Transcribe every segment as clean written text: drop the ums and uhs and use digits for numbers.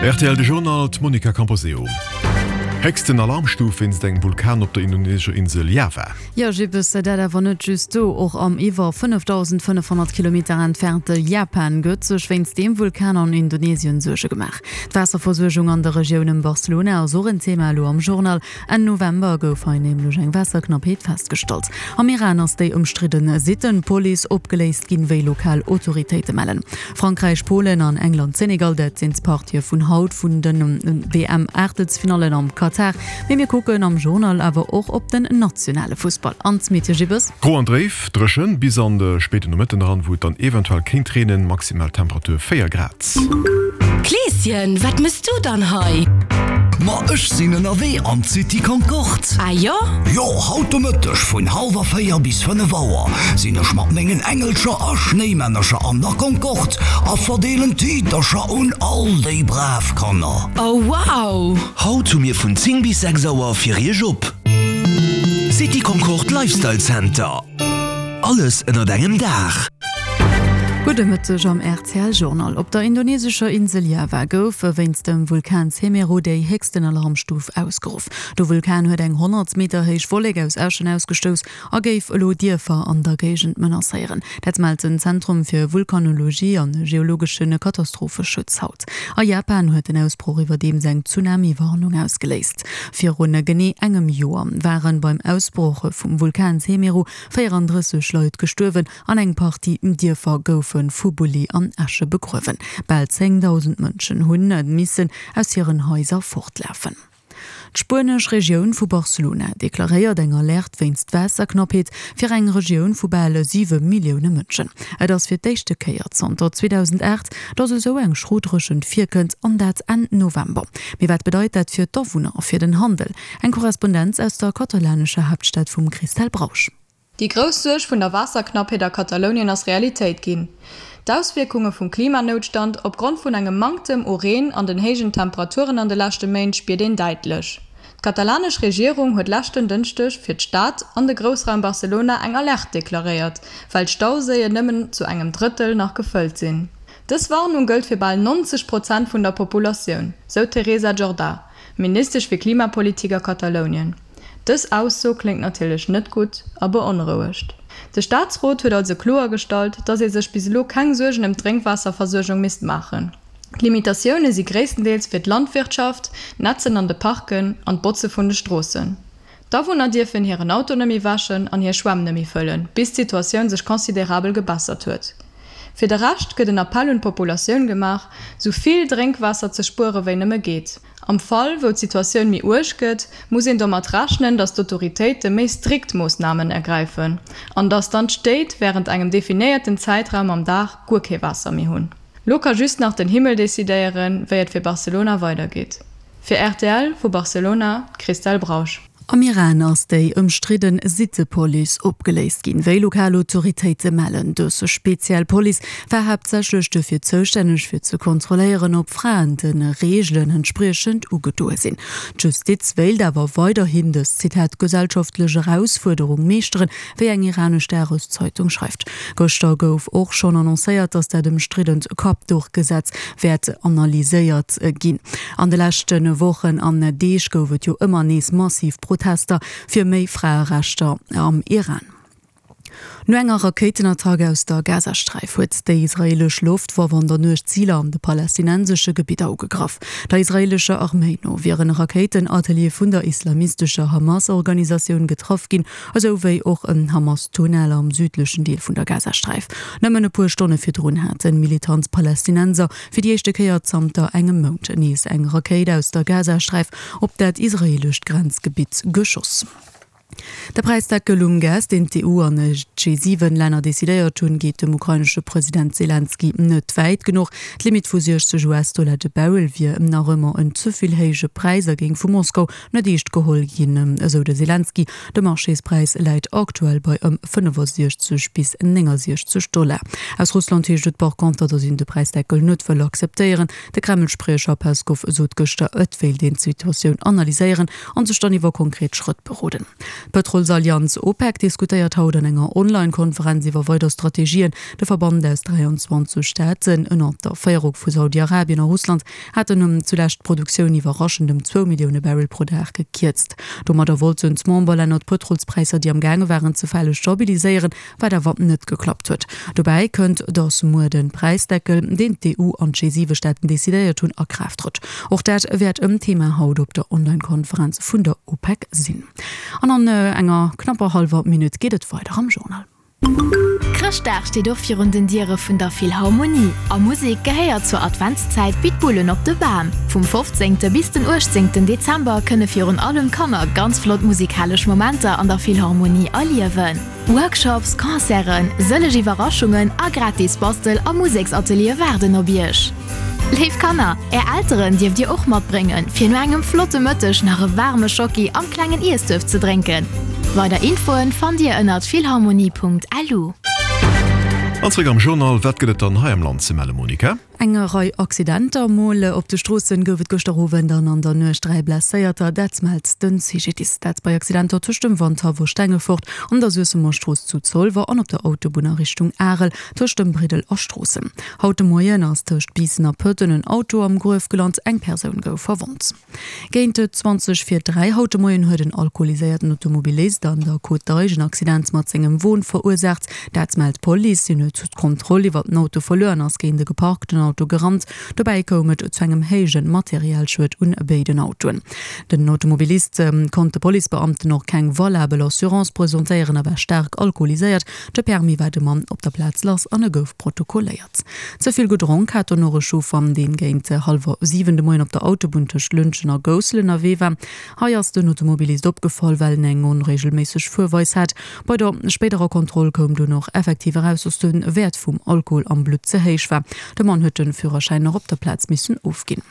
Rtl De Journal, d'Monica Camposeo. Héchsten Alarmstuf wéinst engem Vulkan op der indonesescher Insel Java. Jo, Jibbes, dat awer net just do, och am iwwer 5.500 Kilometer entfernte Japan gëtt sech wéinst deem Vulkan an Indonesien Suerge gemaach. D'Waasserversuergung an der Regioun ëm Barcelona ass och en Thema elo am Journal. Enn November gouf hei nämlech eng Waasserknappheet festgestallt. Am Iran ass déi ëmstridde Sitten-Police opgeléist ginn, wéi lokal Autoritéite mellen. Frankräich, Polen an England-Senegal, dat sinn d'Partië vun haut vun de WM-Aachtelsfinallen am Katar. Mee mir kucken am Journal awer och op den nationale Fussball. An d'Smitje Gibbes. Gro an dréif, dréchen bis an de spéiden Nomëtten eran, wou et dann eventuell kéint reenen, maximal Temperatur 4 Grad. Kleeschen, wat mëss du dann hei? Ma ech sinn ënnerwee an d'City Concorde. Ah jo? Jo, haut de Mëtteg vun hallwer 4 bis 5 Auer sinn ech mat mengen Engelcher a Schnéimännercher an der Concorde a verdeelen Tiitercher un all déi brav Kanner. Oh wow! Haut hu mir vun 10 bis 6 Auer fir iech op. City Concorde Lifestyle Center. Alles ënnert engem Daach. Gudde Mëtteg am rtl Journal. Op der indonesescher Insel Java gouf wéinst dem Vulkan Semeru déi héchsten Alarmstuf ausgeruff. De Vulkan huet eng 100 Meter héich Wollek aus Äschen ausgestouss a géif elo Dierfer an der Géigend menacéieren. Dat mellt den Zentrum fir Vulkanologie an geologesche Katastropheschutz haut. A Japan huet den Ausbroch iwwerdeems eng Tsunami-Warnung ausgeléist. Virun genee engem Joer ware beim Ausbroch vum Vulkan Semeru 34 Leit gestuerwen an eng Partie Dierfer goufe vu Bulli an Äsche begruewen. Bal 10.000 Mënschen hunn missen aus hiren Haiser fortlafen. D'spuenesch Regioun vu Barcelona deklaréiert eng Alerte wéinst Waasserknappheet fir eng Regioun vu bal 7 Millioune Mënschen. Et ass fir d'éischte Kéier zanter 2008, datt esou eng schro Dréchent virkënnt, an dat Enn November. Mee wat bedeit dat fir d'Awunner a fir den Handel? Eng Korrespondenz aus der katalanescher Haaptstad vum Christelle Brausch. Déi grouss Suerg vun der Waasserknappheet a Katalounien ass Realitéit ginn. D'Auswierkunge vum Klimanoutstand opgrond vun engem Manktem u Reen an den héijen Temperaturen an de leschte Méint spiert een däitlech. D'katalanesch Regierung huet leschten Dënschdeg fir d'Stad an de Groussraum Barcelona eng Alerte deklaréiert, well d'Stauséien nëmmen zu engem Drëttel nach gefëllt sinn. Dës Warnung gëllt fir bal 90 Prozent vun der Populatioun, sou d'Teresa Jordà, Ministesch fir Klimapolitik a Katalounien. Dës Ausso kléngt natierlech net gutt a beonrouegt. De Staatsrot huet also kloergestallt, datt ee sech bis elo keng Suergen ëm d'Drénkwaasserversuergung misst maachen. D'Limitatioune si gréisstendeels fir d'Landwirtschaft, d'Netzen an de Parken an d'Botze vun de Stroossen. D'Awunner dierfen hiren Auto nëmme wäschen an hir Schwämm nëmme fëllen, bis d'Situatioun sech considerabel gebessert huet. Fir de Rescht gëtt en Appell un d'Populatioun gemaach, sou vill Drénkwaasser ze spuere wéi nëmme geet. Am Fall wou d'Situatioun méi uerg gëtt, muss een domat rechnen, datt d'Autoritéite méi strikt Moossnamen ergräifen an datt dann d'Stéit wärend engem definéierten Zäitraum am Dag guer kee Waasser méi hunn. Lo ka just nach den Himmel decidéieren, wéi et fir Barcelona weidergeet. Fir rtl vu Barcelona, d'Christelle Brausch. Am Iran ass déi ëmstridde Sittepolice opgeléist ginn, wéi lokal Autoritéite mellen. Dës speziell Police war haaptsächlech dofir zoustänneg, fir ze kontrolléieren, ob Fraen de Reegelen entspriechend ugedoe sinn. D'Justiz wéilt awer weiderhin dës, Zitat, gesellschaftlech Erausfuerderung meeschteren, wéi eng iranesch Dageszeitung schreift. Gëschter gouf och schonn annoncéiert, datt dat ëmstriddent Kappduchgesetz wäert analyséiert ginn. An de leschte Wochen an Deeg gouf et jo ëmmer nees massiv Protester fir méi Fraerechter am Iran. No enger Rakéitenattack aus der Gazasträif huet déi israeelesch Loftwaff an der Nuecht Ziler an de palästinensesche Gebidder ugegraff. Der israeelescher Arméi no wieren Rakéitenateliere vun der islamistescher Hamas-Organisatioun getraff ginn, esou wéi och en Hamas-Tunnel am südlechen Deel vun der Gazasträif. Nëmmen e puer Stonne virdrun haten militant Palästinenser fir déi éischte Kéier zanter engem Mount nees eng Rakéit aus der Gazasträif op dat israeelescht Grenzgebitt geschoss. De Präisdeckel um Gas, deen d'EU an d'G7-Länner decidéiert hunn, geet dem ukrainesche President Selenskyj net wäit genuch. D'Limitt vu 60 US-Dollar de Barrel wier nach ëmmer en ze vill héije Präis a géing vu Moskau net eescht geholl ginn, esou de Selenskyj. De Marchéspräis läit aktuell bei ëm 65 bis 69 Dollar. Aus Russland heescht et par conter, datt een de Präisdeckel net wëll akzeptéieren. De Kreml-Spriecher Peskow sot gëschter, et wéilt een d'Situatioun analyséieren an sech dann iwwer konkret Schrëtt beroden. D'Pëtrolsallianz OPEC diskutéiert haut an enger Online-Konferenz iwwer weider Strategien. De Verband aus 23 Staaten, ënner der Féierung vu Saudi-Arabien a Russland, haten zulescht d'Produktioun iwwerraschend ëm zwou Millioune Barrel pro Dag gekierzt. Domadder wollten d'Memberlänner d'Pëtrolspräisser, déi am gaange waren ze fale, stabiliséieren, wat awer net geklappt huet. Dobäi kënnt, datt muer de Präisdeckel, deen d'EU an d'G7-Staaten decidéiert hunn, a Kraaft trëtt. Och dat wäert en Thema haut op der Online-Konferenz vun der OPEC sinn. An an enger knapper hallwer Minutt geet et weider am Journal. Chrëschtdag steet och virun den Diere vun der Philharmonie. A Musek gehéiert zur Adventszäit wéi d'Bullen op de Bam. Vum 15. bis den 18. Dezember kënne virun allem Kanner ganz flott musikalesch Momenter an der Philharmonie erliewen. Workshops, Concerten, sëlleg Iwwerraschungen a gratis Bastel a Museksateliere waarden op iech. Léif Kanner, är Elteren dierft dir och matbréngen, fir no engem flotte Mëtteg nach e waarme Schocki am klengen Iessduerf ze drénken. Weider Infoen fannt dir ënnert philharmonie.lu. An zréck am Journal, Wat gëtt et dann hei am Land ze melle, Monica? Eng Rei Accidenter mol op de Stroossen gouf et gëschter Owend an an der Nuecht 3 Blesséierter, dat mellt de CGDIS. Dat bei Accidenter tëscht dem Wandhaff a Stengefort, an der Suessemer Strooss zu Zolwer an op der Autobunn a Richtung Arel tëscht dem Briddel a Stroossen. Haut de Moien ass tëscht Biissen a Pëtten en Auto am Gruef gelant, eng Persoun gouf verwonnt. Géint 20 vir 3 haut de Moien huet en alkoholiséierten Automobilist an der Côte d'Eich en Accident mat sengem Won verursaacht. Dat mellt d'Police. Hien huet d'Kontroll iwwer den Auto verluer an ass géint e geparkten Auto gerannt. Dobäi koum et zu engem héije Materialschued un béiden Autoen. Den Automobilist konnt de Policebeamten och keng valabel Assurance presentéieren a war staark alkoholiséiert. De Permis war de Mann op der Plaz lass an e gouf protokolléiert. Ze vill gedronk hat dono e Chauffer, deen géint hallwer 7 de Moien op der Autobunn tëscht Lëntgen a Goussel ënnerwee war. Hei ass den Automobilist opgefall, well en eng onreegelméisseg Fuerweis hat. Bei der spéiderer Kontroll koum dunn och effektiv eraus, dass de Wäert vum Alkohol am Blutt ze héich war. De Mann huet de Führerschäin nach op der Plaz missen ofginn.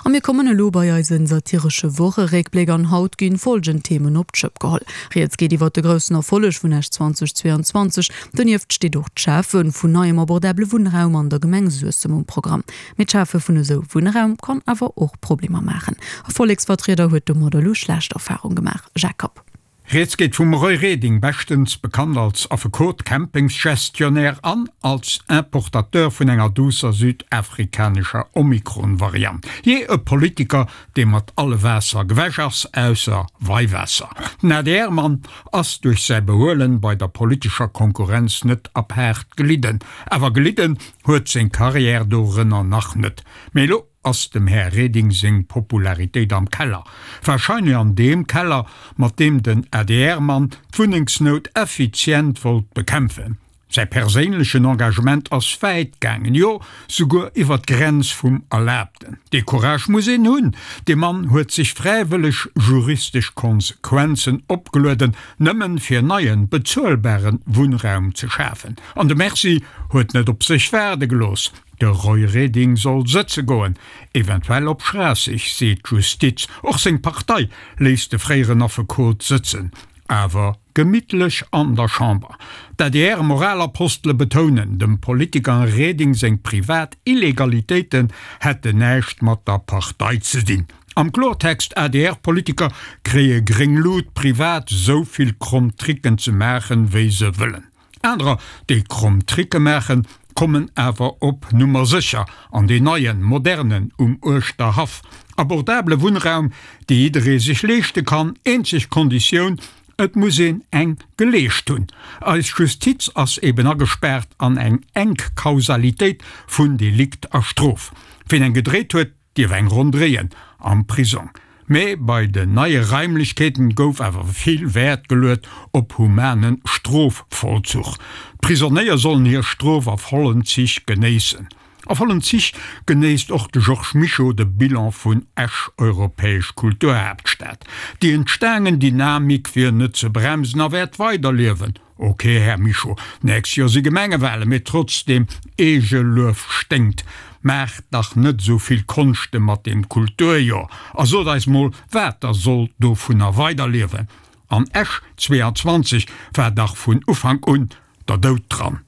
A mir kommen elo bei eise satiresche Wocheréckbléck an haut ginn folgend Themen op d'Schëpp geholl. Rieds geet iwwert de groussen Erfolleg vun Esch 2022, donieft steet och d'Schafe vun neiem abordabele Wunnraum an der Gemeng Suessem um Programm. Mee d'Schafe vun esou Wunnraum kann awer och Problemer maachen. E Volleksvertrieder huet domadder elo schlecht Erfarung gemaach. Jacques Kapp. Rieds geet vum Roy Reding, beschtens bekannt als Affekot, Campingsgestionnaire an als Importateur vun enger duusser südafrikanescher Omikron-Variant. Jee, e Politiker, dee mat alle Waasser gewäsch ass, ausser Weiwaasser. Den ADR-Mann ass duerch säi Behuelen bei der politescher Konkurrenz net apaart gelidden. Awer gelidden huet seng Carrière dorënner nach net. Mee elo Ass dem Här Reding seng Popularitéit am Keller? Wahrscheinlech an deem Keller, mat deem den ADR-Mann d'Wunnengsnout effizient wollt bekämpfen. Säi perséinlechen Engagement ass wäit gaangen, jo souguer iwwer d'Grenz vum Erlaabten. Dee Courage muss een hunn! Dee Mann huet sech fräiwëlleg juristesch Konsequenzen opgelueden, nëmmen fir neien, bezuelbaren Wunnraum ze schafen. An de Merci huet net op sech waarde gelooss. De Roy Reding soll sëtze goen, eventuell op Schraasseg, seet d'Justiz. Och seng Partei léisst de fréieren Affekot sëtzen, awer gemittlech an der Chamber. D'ADR-Moralapostele betounen, dem Politiker Reding seng privat Illegalitéiten hätten näischt mat der Partei ze dinn. Am Klortext, ADR-Politiker kréie gréng Lut, privat esou vill kromm Tricken ze maachen, wéi se wëllen. Anerer, déi kromm Tricke maachen, kommen awer op Nummer sécher an deen neien, modernen um Uerschterhaff. Abordabele Wunnraum, dee jidderee sech leeschte kann, eenzeg Konditioun, et muss een eng geleescht hunn. Eis Justiz ass eben agespaart an eng enk Kausalitéit vun Delikt a Strof. Ween eng gedréit huet, dierf eng Ronn dréien am Prisong. Mee bei den neie Raimlechkeeten gouf awer vill Wäert geluet op humane Strofvollzuch. D'Prisonéier sollen hir Strof a vollen Zich genéissen. A vollen Zich genéisst och de Georges Mischo de Bilan vun Esch, Europäesch Kulturhaaptstad. Déi entstaangen Dynamik wier net ze bremsen a wäert weiderliewen. Ok, Här Mischo, nächst Joer si Gemengewahlen, mee trotzdem, Eegeluef sténkt. Maacht dach net esou vill Konschte mat deem Kulturjoer a sot eis mol, wat da soll dovunner weiderliewen. An Esch 22 war dach vun Ufank un der Doud dran.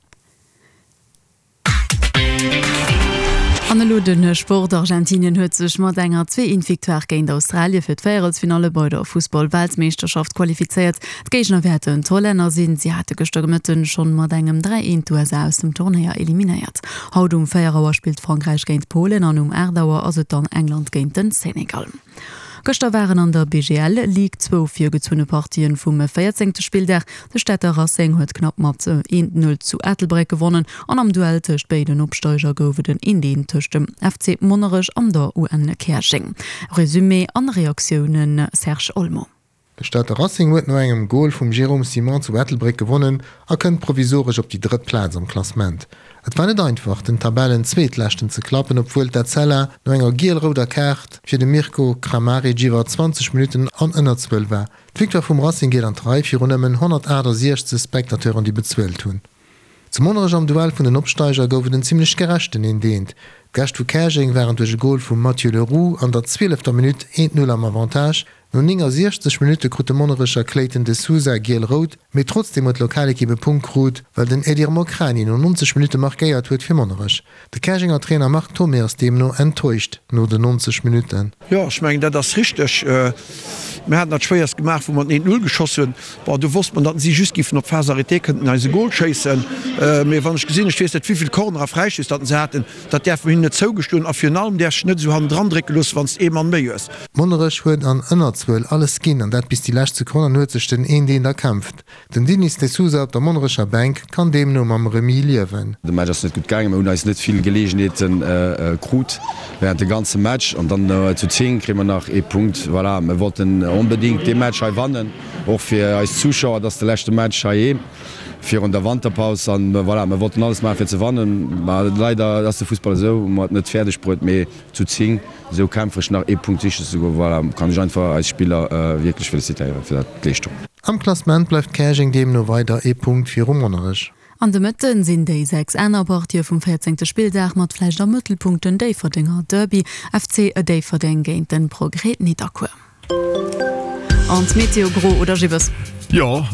An elo de Sport, Argentinien huet sech mat enger 2 Eent Victoire géint Australie fir d'Véierelsfinalle bei der Fussball-Weltmeeschterschaft qualifizéiert. D'Géigner wäerten d'Hollänner sinn. Si hate gëschter Gemëtten schonn mat engem 3 Eent d'USA aus dem Turnéier eliminéiert. Haut um 4 Auer spillt Frankräich géint Polen an um 8 Auer ass et dann England géint den Senegal. Gëschter waren an der BGL Ligue zwou virgezunne Partien vum 14. Spilldag. De Stater Racing huet knapp mat 1, 0 zu Ettelbréck gewonnen an am Duell tëscht béiden Opsteiger gouf et en 1, 1 tëscht dem FC Monnerech an der UN Käerjeng. Resumé an Reaktiounen, Serge Olmo. De Stater Racing huet no engem Gol vum Jérôme Simon zu Ettelbréck gewonnen a kënnt provisoresch op déi drëtt Plaz am Klassement. Et war net einfach, den Tabellenzweetleschten ze klappen, obwuel d'Etzella no enger giel-rouder Kaart fir de Mirko Kramaric iwwer 20 Minutten an Ënnerzuel war. D'Victoire vum Racing geet an d'Rei virun nëmmen 168 Spectateuren, déi bezuelt hunn. Zu Monnerech am Duell vun den Opsteiger gouf et en zimmlech gerechten Eent Eent. D'Gäscht vu Käerjeng waren duerch e Gol vum Mathieu Le Roux an der zwielefter Minutt 1, 0 am Avantage. No 69 Minutte krut de Monnerecher Clayton De Sousa giel-rout, mee trotzdeem huet d'Lokalekipp e Punkt krut, well den Edir Mokrani no 90 Minutte markéiert huet fir Monnerech. De Käerjenger Trainer Marc Thomé ass deemno enttäuscht no den 90 Minutten. Jo, ech mengen, dat ass richteg. Mir haten dat Schwéierst gemaach, wou mer den 1, 0 geschoss hunn. Bon, do wosst mer, datt si just giffen op d'Phase arrêtée kënnten eis e Gol schéissen. Mee wann ech gesinn, ech weess net wéivill Corner a Fräistöss datt se haten, dat däerfe mer hinnen net zougestoen. A virun allem däerfs dech net esou hannendran drécke loossen, wann s de ee Mann méi hues. Monnerech huet an Ënnerzuel alles ginn an dat bis déi lescht Sekonn an huet sech den 1, 1 erkämpft. Den Dinis de Sousa op der Monnerecher Bänk kann deemno mam Remis liewen. De Match ass net gutt gaangen, mir hunn eis net vill Geleegenheete krut während de ganze Match an dann zu 10 kréie mer nach ee Punkt. Voilà, mir wollten onbedingt dee Match hei wannen, och fir eis Zuschauer. Et ass de leschte Match heiheem virun der Wanterpaus an voilà, mir wollten alles maachen fir ze wannen. Ma leider ass de Fussball esou, hu mer et net fäerdeg bruet, mee zu 10 esou kämpfereg nach ee Punkt sichen ze goen, voilà, kann ech einfach eis Spiller wierklech felicitéieren fir dat Leeschtung. Am Klassement bleift Käerjeng deemno weider ee Punkt viru Monnerech. An de Mëtten sinn déi 6 aner Partië vum 14. Spilldag mat vläicht am Mëttelpunkt den Déifferdenger Derby, FC Déifferdeng géint den Progrès Nidderkuer. An d'Meteo, gro oder Gibbes? Jo,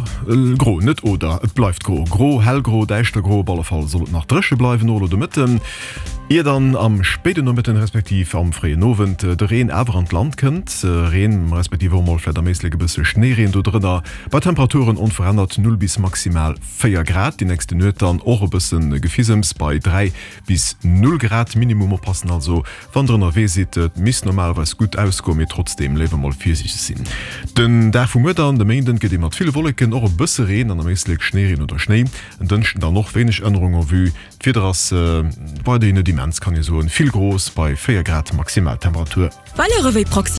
gro, net oder, et bleift gro. Gro, hellgro, däischtergro, op alle Fall soll et nach dréche bleiwen, och elo de Mëtten. Ier dann am spéiden Nomëtten respektiv am fréien Owend de Reen awer an d'Land kënnt. Reen respektiv och mol vläit am Éislek e bësse Schnéireen do drënner, bei Temperaturen onverännert 0 bis maximal 4 Grad. Déi nächste Nuet dann och e bësse Gefisems bei 3 bis 0 Grad Minimum. Oppassen also wann der ënnerwee sidd, et misst normalerweis gutt ausgoen, mee trotzdeem léiwer mol virsiichteg sinn. Den Dag vu muer dann, de Méinden, gëtt ee mat ville Wolleken, och e bësse Reen an am Éislek Schnéireen oder Schnéi. En Dënschden dann och wéineg Ännerung en vue. D'Wieder ass weiderhin net immens, kann ee soen, vill Gros bei 4 Grad Maximaltemperatur. Valeuren wéi.